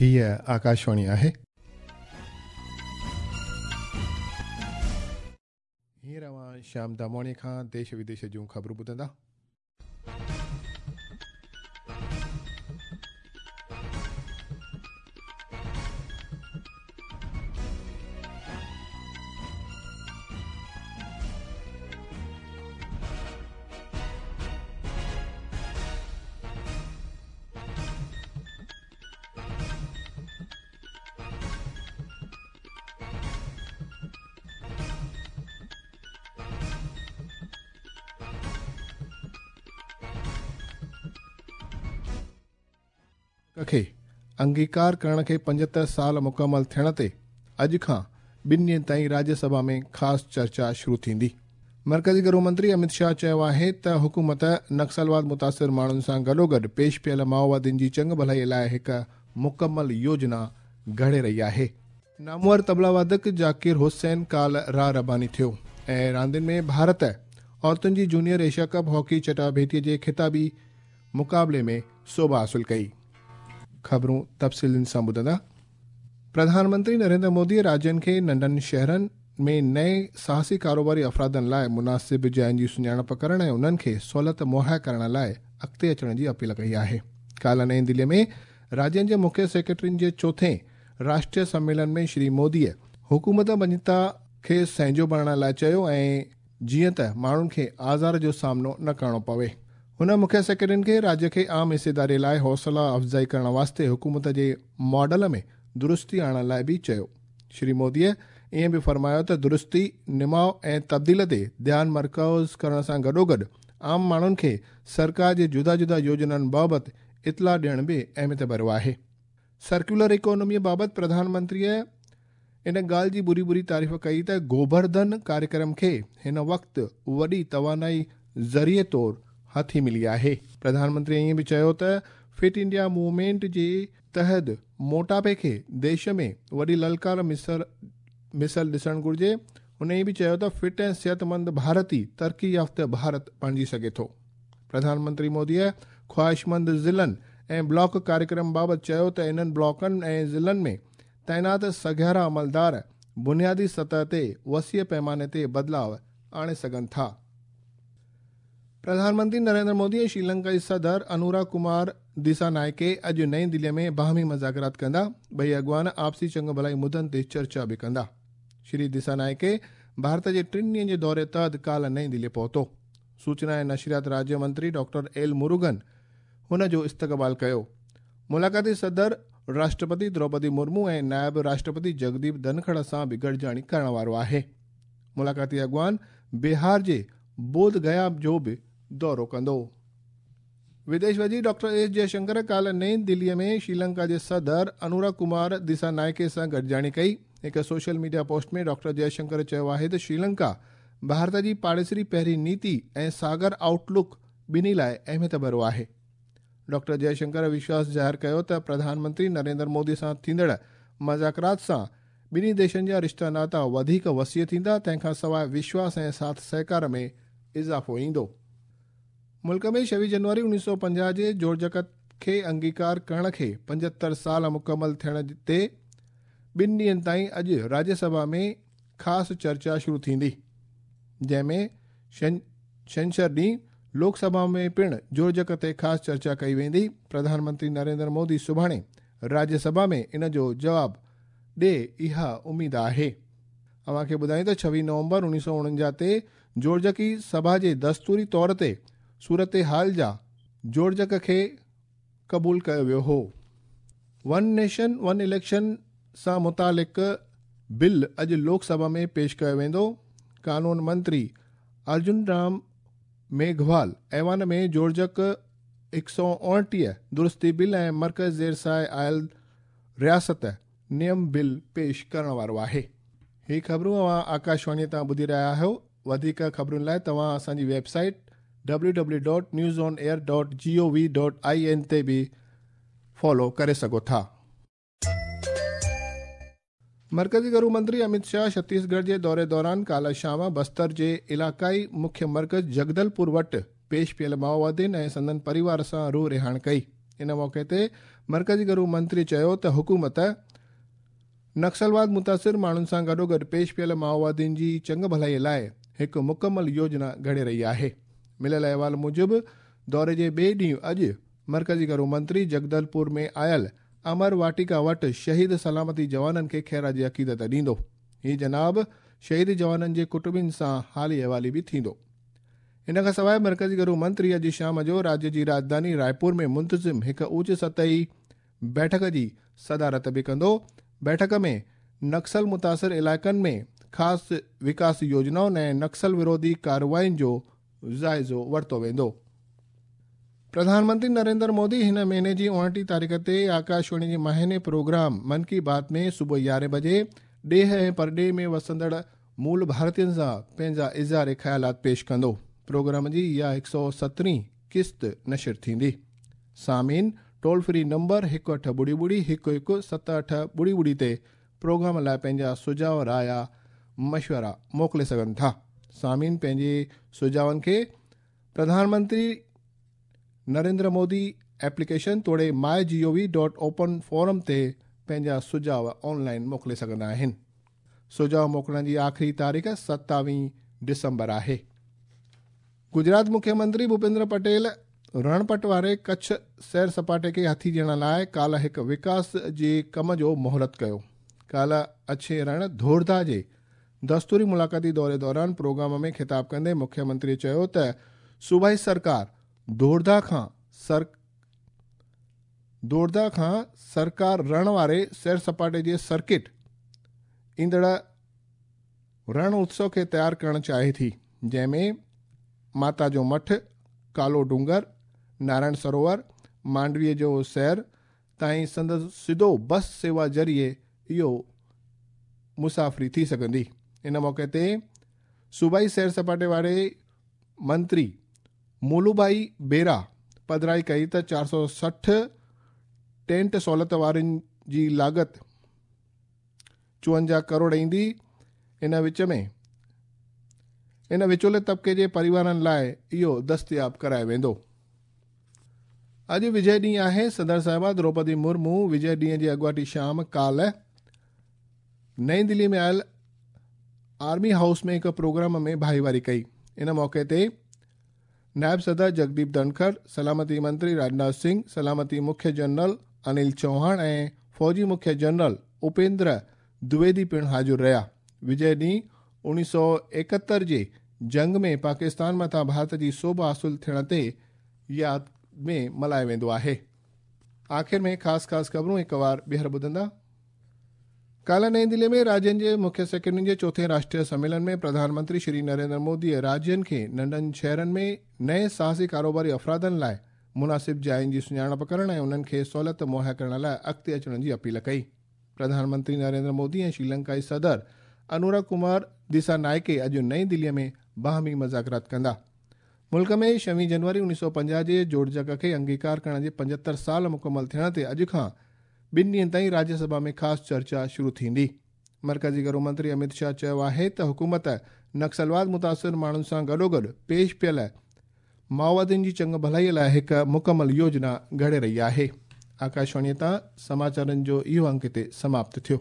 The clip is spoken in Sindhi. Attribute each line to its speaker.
Speaker 1: هيء آڪاشواڻي آهي. هينئر اوهان شيام دامواڻيء کان ديش وديش جون خبرون ٻڌندا. کي انگيڪار ڪرڻ کي 75 سال مڪمل ٿيڻ تي اڄ کان 2 ڏينهن تائين راجيه سڀا ۾ خاص چرچا شروع ٿيندي. مرڪزي گهرو منتري امت شاهه چيو آهي ته حڪومت نڪسلواد متاثر ماڻهن سان گڏوگڏ پيش پيل مائووادين جي چڱ ڀلائي لاء هڪ مڪمل يوجنا گهڙي رهي آهي. نامور طبلا وادڪ ذاڪر حسين ڪالهه راهه رباني ٿيو ۽ راندين ۾ ڀارت عورتن جي جونيئر ايشيا ڪپ هاڪي چٽاڀيٽي جي خطابي مقابلي ۾ سوڀ حاصل ڪئي. خبرون تفصيلن سان ٻڌندا. پرڌان منتري نريندر مودي راجين کي ننڍن شهرن ۾ نئين ساهسي ڪاروباري افرادن لاء مناسب جاين جي سڃاڻپ ڪرڻ ۽ انهن کي سهولت مهيا ڪرڻ لاء اڳتي اچڻ جي اپيل ڪئي آهي. ڪالهه نئين دلي ۾ راجين جي مکيه سيڪريٽرين جي چوٿين راشٽريه سميلن ۾ شري مودي حڪومت مڃتا کي سهنجو بڻائڻ لاء چيو ۽ جيئن ته ماڻهن کي آزار جو سامنو نه ڪرڻو پوي. هن مکيه سيڪريٽرين کي راجيه کي عام حصيداري لاء حوصلا افزائي ڪرڻ واسطي حڪومت جي ماڊل ۾ درستي آڻڻ لاء به چيو. شري موديء ائين به فرمايو ته درستي، نماء ۽ تبديل تي ڌيان مرڪوز ڪرڻ سان گڏوگڏ عام ماڻهن کي سرڪار جي جدا جدا يوجنائن بابت اطلاع ڏيڻ به اهميت ڀريو آهي. سرڪيولر اڪانوميء بابت پرڌان منتريء ان ڳالهه جي ڀري ڀري تعريف ڪئي ته گوبرڌن ڪاريڪرم کي هن وقت وڏي توانائي ذريعي طور هٿي ملي آهي. پرڌان منتري ائين به چيو ته فٽ انڊيا موومينٽ جي تحت موٽاپي کي ديش ۾ وڏي للڪار مثل ڏسڻ گهرجي. هن ائين به چيو ته فٽ ۽ صحتمند ڀارت ئي ترقي يافته ڀارت بڻجي سگهي ٿو. پرڌان منتري موديء خواهشمند ضلعن ۽ بلاڪ ڪاريڪرم بابت چيو ته انهن بلاڪن ۽ ضلعن ۾ تعينات سگهارا عملدار بنيادي سطح تي وسيع پئماني تي بدلاء آڻي سگهن ٿا. پرڌان منتري نريندر مودي ۽ شريلنڪا جي صدر انورا ڪمار ديسانائڪي اڄ نئين دلي ۾ باهمي مذاڪرات ڪندا. ٻئي اڳواڻ آپسي چڱ ڀلائي مدن تي چرچا به ڪندا. شري ديسانائڪي ڀارت جي 3 ڏينهن جي دوري تحت ڪالهه نئين دلي پهتو. سوچنا ۽ نشريات راجيه منتري ڊاڪٽر ايل مروگن هن جو استقبال ڪيو. ملاقاتي صدر راشٽرپتي دروپدي مرمو ۽ نائب راشٽرپتي جگديپ ڌنکڙ سان به گڏجاڻي ڪرڻ وارو آهي. ملاقاتي اڳواڻ بهار جي بوڌ گيا جو به دورو ڪندو. وديش وزير ڊاڪٽر ايس جئشنڪر ڪالهه نئين دلي ۾ شريلنڪا جي صدر انورا ڪمار ديسانائڪي سان گڏجاڻي ڪئي. هڪ social media post ۾ doctor Jaishankar چيو آهي ته شريلنڪا ڀارت جي پاڙيسري پهرين نيتي ۽ ساگر آئوٽ لڪ ٻنهي لاء اهميت ڀريو آهي. ڊاڪٽر جئشنڪر وشواس ظاهر ڪيو ته پرڌان منتري نريندر مودي سان ٿيندڙ مذاڪرات سان ٻنهي ديشن جا رشتا ناتا وڌيڪ وسيع ٿيندا، تنهن کان سواء وشواس ۽ ساٿ سهڪار ۾ اضافو ايندو. ملڪ ۾ 26 جنوري 1950 جي جوڙجڪ کي انگيڪار ڪرڻ کي 75 سال مڪمل ٿيڻ تي 2 ڏينهن تائين اڄ راجيه سڀا ۾ خاص چرچا شروع ٿيندي، جنهن ۾ ڇنڇر ڏينهن لوڪ سڀا ۾ پڻ جوڙجڪ تي خاص چرچا ڪئي ويندي. پرڌان منتري نريندر مودي سڀاڻي راجيه سڀا ۾ ان جو جواب ڏي اها اميد آهي. اوهان کي ٻڌايون ته 26 نومبر 1949 تي جوڙجڪي سڀا جي دستوري طور تي صورتحال جا جوڙجڪ کي قبول ڪيو ويو هو. ون نيشن ون اليڪشن سان متعلق بل اڄ لوڪ سڀا ۾ پيش ڪيو ويندو. قانون منتري ارجن رام ميگهوال ايوان ۾ جوڙجڪ 129 درستي بل ۽ مرڪز زير ساء آيل رياست نيم بل پيش ڪرڻ وارو آهي. هي خبرون اوهان آڪاشواڻي تان ٻڌي رهيا آهيو. وڌيڪ خبرن لاء توهان اسان جي web site www.newsonair.gov.in تي به فالو ڪري سگهو ٿا. مرڪزي گهرو منتري امت شاهه ڇتيسڳڙهه جي دوري دوران ڪالهه شام بستر جي علائقائي مکيه مرڪز جگدلپور وٽ پيش پيل مائووادين ۽ سندن پريوار سان روح رهاڻ ڪئي. ان موقعي تي مرڪزي گهرو منتري چيو ته حڪومت نڪسلواد متاثر ماڻهن سان گڏوگڏ پيش پيل مائووادين جي چڱ ڀلائي لاء هڪ مڪمل يوجنا گهڙي رهي آهي. مليل احوال موجب دوري جي ٻئي ڏينهن اڄ مرڪزي گهرو منتري جگدلپور ۾ آيل امر واٽيڪا وٽ شهيد سلامتي جوانن کي خيراج عقيدت ڏيندو. هي جناب شهيد جوانن جي ڪٽنبن سان حالي احوالي به ٿيندو. ان کان سواء مرڪزي گهرو منتري اڄ شام جو راجيه جي راڄڌاني رائپور ۾ منتظم هڪ اوچ سطحي بيٺڪ جي صدارت به ڪندو. بيٺڪ ۾ نڪسل متاثر علائقن ۾ خاص وڪاس يوجنائن ۽ نڪسل وروڌي ڪارروائين جو جائزو ورتو ويندو. پرڌان منتري نريندر مودي هن مهيني جي 29 تاريخ تي آڪاشواڻي جي ماهاني پروگرام من ڪي بات ۾ صبح 11 بجي ڏيهه ۽ پرڏيهه ۾ وسندڙ مول ڀارتين سان پنهنجا اظهار خيالات پيش ڪندو. پروگرام جي اها 117 قسط نشر ٿيندي. سامعين ٽول فري نمبر 1800 11 7800 تي پروگرام لاء پنهنجا سجهاء، رايا، مشورا موڪلي سگهن ٿا. سامعين پنهنجي سجهاون کي پرڌان منتري نريندر مودي ايپليڪيشن توڙي my G O V dot open forum تي پنهنجا سجهاء آن لائن موڪلي سگهندا آهن. سجهاء موڪلڻ جي آخري تاريخ 27 ڊسمبر آهي. گجرات مکيه منتري ڀوپيندر پٽيل رڻپٽ واري ڪڇ سير سپاٽي کي هٿي ڏيڻ لاء ڪالهه هڪ وڪاس جي ڪم جو مهورت ڪيو. ڪالهه اڇي رڻ ڌوردا جي دستوري ملاقاتي دوري دوران پروگرام ۾ خطاب ڪندي مکيه منتري چيو ته صوبائي سرڪار ڌوردا کان سرڪار رڻ واري سير سپاٽي جي سرڪٽ ايندڙ رڻ اتسو کي تيار ڪرڻ چاهي ٿي، جنهن ۾ ماتا جو مٺ، ڪالو ڊونگر، نارائڻ سروور، مانڊويء جو سير تائين سندس سڌو بس سيوا ذريعي اهو مسافري ٿي سگهندي. ان موقعي تي صوبائي سير سپاٽي واري منتري مولوڀائي بيرا پڌرائي ڪئي ته 460 ٽينٽ سهولت وارن جي لاڳت 54 ڪروڙ ايندي. ان وچ ۾ ان وچولي طبقي جي پريوارن لاء اهو دستياب ڪرايو ويندو. اڄ وجي ڏينهن آهي. صدر صاحبه دروپدي مرمو وجي ڏينهن جي اڳواٽي شام ڪالهه نئين دلي ۾ آيل آرمي هائوس ۾ هڪ پروگرام ۾ ڀائيواري ڪئي. ان موقعي تي نائب صدر جگديپ ڌنکر، سلامتي منتري راجناٿ سنگهه، سلامتي مکيه جنرل انيل چوهاڻ ۽ فوجي مکيه جنرل اپيندر دويدي پڻ حاضر رهيا. وجي ڏينهن 1971 جي جنگ ۾ پاڪستان مٿان ڀارت جي سوڀ حاصل ٿيڻ تي ياد ۾ ملهايو ويندو آهي. آخر ۾ خاص خاص خبرون هڪ وار ٻيهر ٻڌندا. ڪالهه نئين دلي ۾ راجين جي مکيه سيڪريٽرين جي چوٿين راشٽريه سميلن ۾ پرڌان منتري شري نريندر موديء راجين کي ننڍن شهرن ۾ نئين ساهسي ڪاروباري افرادن لاء مناسب جاين جي سڃاڻپ ڪرڻ ۽ انهن کي سهولت مهيا ڪرڻ لاء اڳتي اچڻ جي اپيل ڪئي. پرڌان منتري نريندر مودي ۽ شري لنڪائي صدر انورا ڪمار دسانائڪي اڄ نئين دلي ۾ باهمي مذاڪرات ڪندا. ملڪ ۾ 26 جنوري 1950 جي جوڙجڪ کي انگيڪار ڪرڻ جي 75 سال مڪمل ٿيڻ تي اڄ کان 2 ڏينهن تائين راجيه سڀا ۾ خاص چرچا شروع ٿيندي. مرڪزي گهرو منتري امت شاهه چيو آهي ته حڪومت نڪسلواد متاثر ماڻهن سان گڏوگڏ پيش پيل مائووادين جي چڱ ڀلائي لاء هڪ مڪمل يوجنا گهڙي رهي آهي. آڪاشواڻيء تان سماچارن جو اهو انڪ هتي سماپت ٿيو.